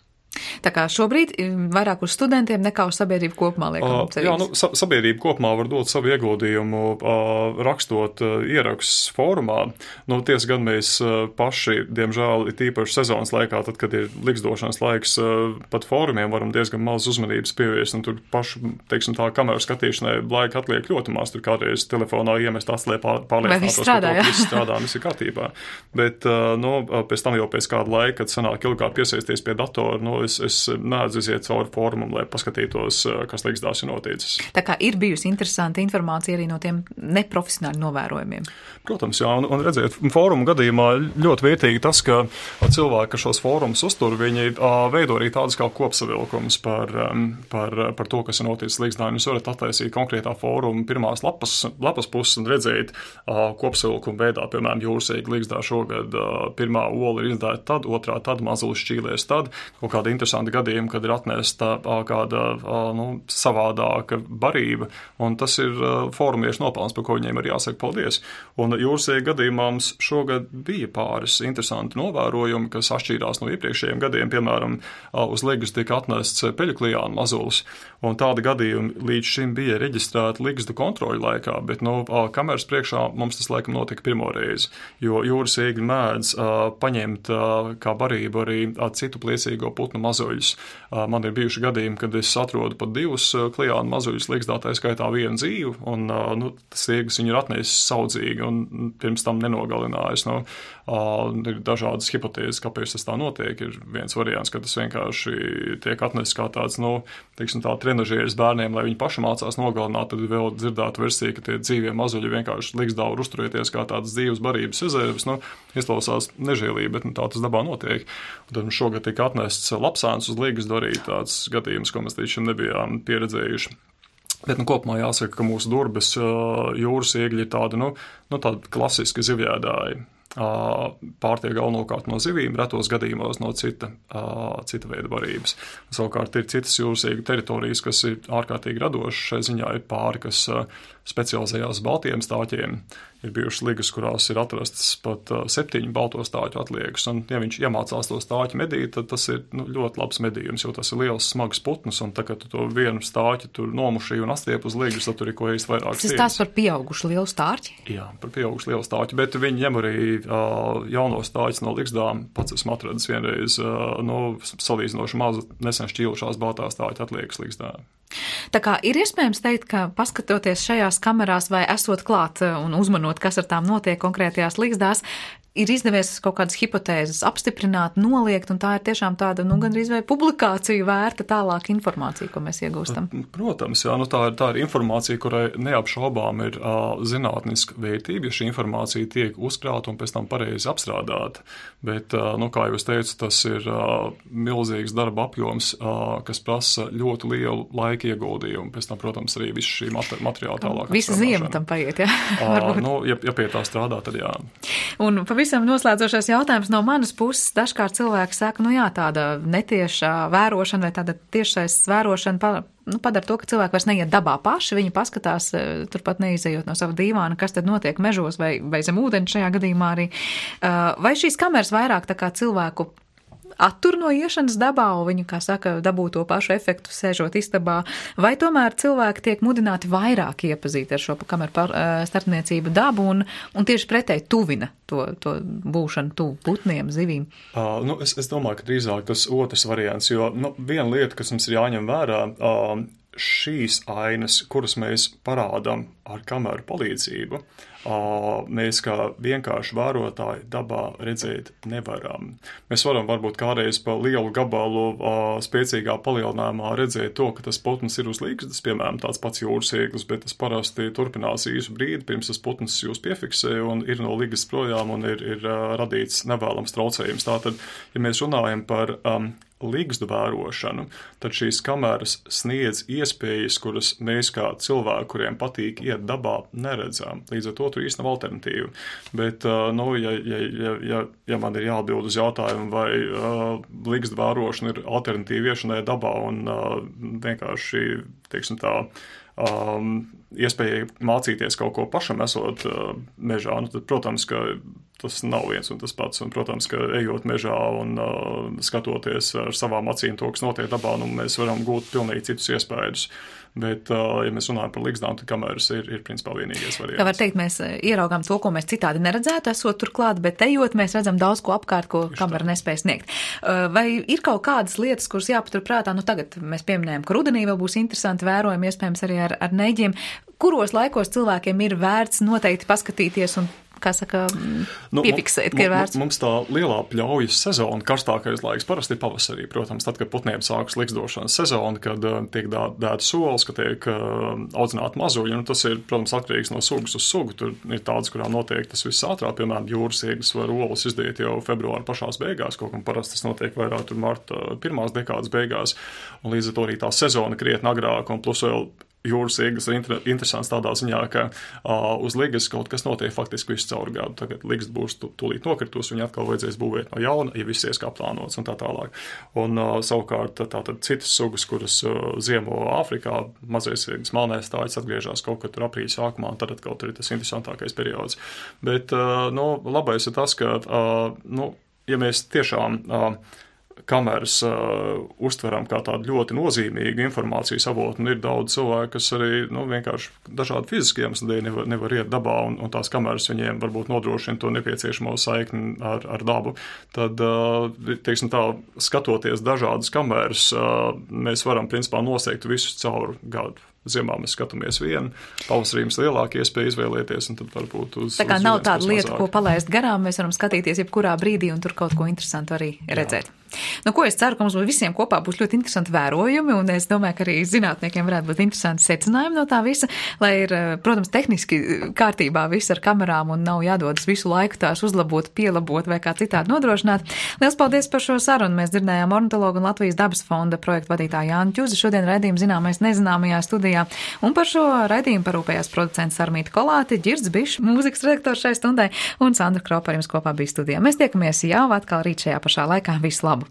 Tā kā šobrīd vairāk uz studentiem nekā uz sabiedrību kopumā liekam uh, Jā, nu, sa sabiedrība kopumā var dot savu ieguldījumu uh, rakstot uh, ierakstus fórumā. Nu, tiesa gan mēs uh, paši, diemžēl, ir tīpaši sezonas laikā, tad, kad ir liksdošanas laiks, uh, pat fórumiem varam diezgan maz uzmanības pievērst, un tur pašu, teiksim, tā kameru skatīšanai laika atliek ļoti maz, tur kādreiz telefonā iemest atslē pārliecinātos, ka to viss strādā, viss ir kārtībā. Bet, uh, nu, pēc tam jau pēc kāda laika, kad sanāk ilgāk piesaisties pie datora, nu, Es, es needzu iziet cauri fórumam, lai paskatītos, kas ligzdās ir noticis. Tā kā ir bijusi interesanta informācija arī no tiem neprofesionāli novērojumiem. Protams, jā, un, un redziet, fórumu gadījumā ļoti vērtīgi tas, ka cilvēki, kas šos fórumus uztur, viņi veido arī tādas kā kopsavilkums par, par, par to, kas ir noticis ligzdā. Jūs varat attaisīt konkrētā fóruma pirmās lapas, lapas puses un redzēt kopsavilkumu veidā, piemēram, jūras ēgļa ligzdā šogad pirmā ola ir izdēta tad, otrā tad, mazulis šķīlēs tad, kaut kāda interesanti gadījumi, kad ir atnesta kāda nu, savādāka barība, un tas ir fórumiešu nopelns, par ko viņiem ir jāsaka paldies. Un jūras ēgļa gadījumā mums šogad bija pāris interesanti novērojumi, kas atšķīrās no iepriekšējiem gadiem, piemēram, uz ligas tika atnests peļuklijāna mazulis, un tādi gadījumi līdz šim bija reģistrēti ligzdu kontroļu laikā, bet no kameras priekšā mums tas laikam notika pirmo reizi, jo jūras ēgļi mēdz paņemt kā barību arī citu pliecīgo putnu mazuļus. Man ir bijuši gadījumi, kad es atrodu pat divus klijānu mazuļus ligzdā, tā skaitā vienu dzīvu, un nu, tas ēglis viņu ir atnesis saudzīgi un pirms tam nenogalinājis. Nu, ir dažādas hipotēzes, kāpēc tas tā notiek. Ir viens variants, ka tas vienkārši tiek atnesis kā tāds, nu, teiksim tā, trenažieris bērniem, lai viņi paši mācās nogalināt, tad vēl dzirdētu versiju, ka tie dzīvie mazuļi vienkārši ligzdā var uzturēties kā tādas dzīves barības rezerves. Nu, izklausās nežēlīgi, bet nu, tā tas dabā notiek. Un tad šogad tika atnests lapsāns uz ligzdu, arī tāds gadījums, ko mēs līdz šim nebijām pieredzējuši. Bet nu, kopumā jāsaka, ka mūsu Durbes jūras ēgļi ir tādi, nu, nu, tādi klasiski zivjēdāji. Pārtiek galvenokārt no zivīm, retos gadījumos no cita, cita veida barības. Savukārt ir citas jūras ēgļu teritorijas, kas ir ārkārtīgi radošas. Šai ziņā ir pāri, kas specializējās baltiem stāķiem. Ir bijušas ligas, kurās ir atrastas pat septiņu balto stāķu atliekas. Un, ja viņš iemācās to stāķu medīt, tad tas ir nu, ļoti labs medījums, jo tas ir liels, smags putns. Un tā, kad tu to vienu stāķu tur nomušīji un astiep uz ligas, tad tur ir ko īsti vairāk stieņas. Tas tās par pieaugušu lielu stāķi? Jā, par pieaugušu lielu stāķi, bet viņi ņem arī uh, jauno stāķis no ligzdām. Pats esmu atradis vienreiz uh, no salīdzinoši mazu nesen šķīlušās baltā stāķa atliekas ligzdā. Tā kā ir iespējams teikt, ka paskatoties šajās kamerās vai esot klāt un uzmanot, kas ar tām notiek konkrētajās ligzdās, ir izdevies kaut kādas hipotēzes apstiprināt, noliegt, un tā ir tiešām tāda, nu, gandrīz vai publikāciju vērta tālāk informācija, ko mēs iegūstam. Protams, jā, nu tā ir, tā ir informācija, kurai neapšaubām ir uh, zinātniska vērtība, ja šī informācija tiek uzkrāta un pēc tam pareizi apstrādāta. Bet, uh, nu, kā jau es teicu, tas ir uh, milzīgs darba apjoms, uh, kas prasa ļoti lielu laika ieguldījumu. Pēc tam, protams, arī visu šī materiāla tālāk. Visa ziema tam paiet, jā. uh, nu, ja, ja pie tā strādā, tad jā. Un pavisam noslēdzošais jautājums no manas puses. Dažkārt cilvēki saka, nu jā, tāda netieša vērošana vai tāda tiešais vērošana pa, nu, padara to, ka cilvēki vairs neiet dabā paši, viņi paskatās, turpat neizejot no sava dīvāna, kas tad notiek mežos vai, vai zem ūdeni šajā gadījumā arī. Vai šīs kameras vairāk tā kā cilvēku attur no iešanas dabā, un viņi, kā saka, dabū to pašu efektu sēžot istabā, vai tomēr cilvēki tiek mudināti vairāk iepazīt ar šo kameru starpniecību dabu un, un tieši pretēji tuvina to, to būšanu tuvu putniem, zivīm? Uh, nu, es, es domāju, ka drīzāk tas otrs variants, jo nu, viena lieta, kas mums ir jāņem vērā, uh, šīs ainas, kuras mēs parādām ar kameru palīdzību, mēs kā vienkārši vērotāji dabā redzēt nevaram. Mēs varam varbūt kādreiz pa lielu gabalu spēcīgā palielinājumā redzēt to, ka tas putns ir uz ligzdas, piemēram, tāds pats jūras ēglis, bet tas parasti turpinās īsu brīdi, pirms tas putns jūs piefiksē un ir no ligzdas projām un ir, ir radīts nevēlams traucējums. Tātad, ja mēs runājam par um, ligzdu vērošanu, tad šīs kameras sniedz iespējas, kuras mēs kā cilvēki, kuriem patīk iet dabā, neredzam. Līdz ar to tur īsti nav alternatīva. Bet, nu, ja, ja, ja, ja, ja man ir jāatbild uz jautājumu, vai uh, ligzdu vērošana ir alternatīva iešanai dabā un uh, vienkārši, teiksim tā, um, iespēja mācīties kaut ko pašam esot uh, mežā, nu, tad, protams, ka tas nav viens un tas pats, un, protams, ka ejot mežā un uh, skatoties ar savām acīm to, kas notiek dabā, nu, mēs varam gūt pilnīgi citus iespējas. Bet, uh, ja mēs runājam par ligzdām, tad kameras ir, ir principā vienīgais variants. Kā var teikt, mēs ieraugām to, ko mēs citādi neredzētu, esot turklāt, bet ejot, mēs redzam daudz ko apkārt, ko Tieši kamera tā. Nespēj sniegt. Uh, vai ir kaut kādas lietas, kuras jāpaturprātā? Nu, tagad mēs pieminējam, ka rudenī vēl būs interesanti vērojumi, iespējams arī ar, ar neģiem. Kuros laikos cilvēkiem ir vērts noteikti paskatīties un kā saka, nu, piefiksēt, ka ir vērts? Mums tā lielā pļaujas sezona, karstākais laiks parasti ir pavasarī, protams, tad, kad putniem sākas ligzdošanas sezona, kad uh, tiek dēta solis, ka tiek uh, audzināti mazuļi, un tas ir, protams, atkarīgs no sugas uz sugu. Tur ir tādas, kurām notiek tas viss ātrāk, piemēram, jūras ieglas var olas izdēt jau februāra pašās beigās, kaut kam parasti tas notiek vairāk tur marta pirmās dekādas beigās, un līdz ar to arī tā sezona krietni agrāk, un plus vēl jūras ieglas ir inter, interesants tādā ziņā, ka uh, uz ligas kaut kas notiek faktiski visu caur gadu. Tagad ligas būs tūlīt nokritus, viņa atkal vajadzēs būvēt no jauna, ja viss ies kā plānots un tā tālāk. Un uh, savukārt tātad citas sugas, kuras uh, ziemo Āfrikā, mazais ieglas malnēs tājas atgriežās kaut kad tur aprīļa sākumā, un tad atkal tur ir tas interesantākais periods. Bet, uh, nu, labais ir tas, ka, uh, nu, ja mēs tiešām uh, kameras uh, uztveram kā tādu ļoti nozīmīgu informācijas avotu, un ir daudz cilvēku, kas arī, nu, vienkārši dažādi fiziski iemesli dēļ nevar, nevar iet dabā, un, un tās kameras viņiem varbūt nodrošina to nepieciešamo saikni ar, ar dabu. Tad, uh, teiksim tā, skatoties dažādas kameras, uh, mēs varam, principā, noseikt visus caur gadu. Ziemā mēs skatāmies vienu, pavasarī mums lielāka iespēja izvēlēties, un tad varbūt uz... Tā kā uz nav viens, tāda lieta, mazāk. ko palaist garām, mēs varam skatīties jebkurā brīdī un tur kaut ko interesantu arī redzēt. Jā. Nu, ko es ceru, ka mums visiem kopā būs ļoti interesanti vērojumi, un es domāju, ka arī zinātniekiem varētu būt interesanti secinājumi no tā visa, lai ir, protams, tehniski kārtībā viss ar kamerām un nav jādodas visu laiku tās uzlabot, pielabot vai kā citādi nodrošināt. Liels paldies par šo sarunu. Mēs dzirdējām ornitologu un Latvijas dabas fonda projektu vadītāju Jāni Ķuzi. Šodien raidījumu zināmais nezināmajā studijā. Un par šo raidījumu parūpējās producents Armīta Kolāte, Ģirds Bišs, mūzikas redaktors šai stundai, un Sandra Kropa ar jums kopā bija studijā. Mēs tiekamies jau atkal rīt šajā pašā laikā. Visu labu!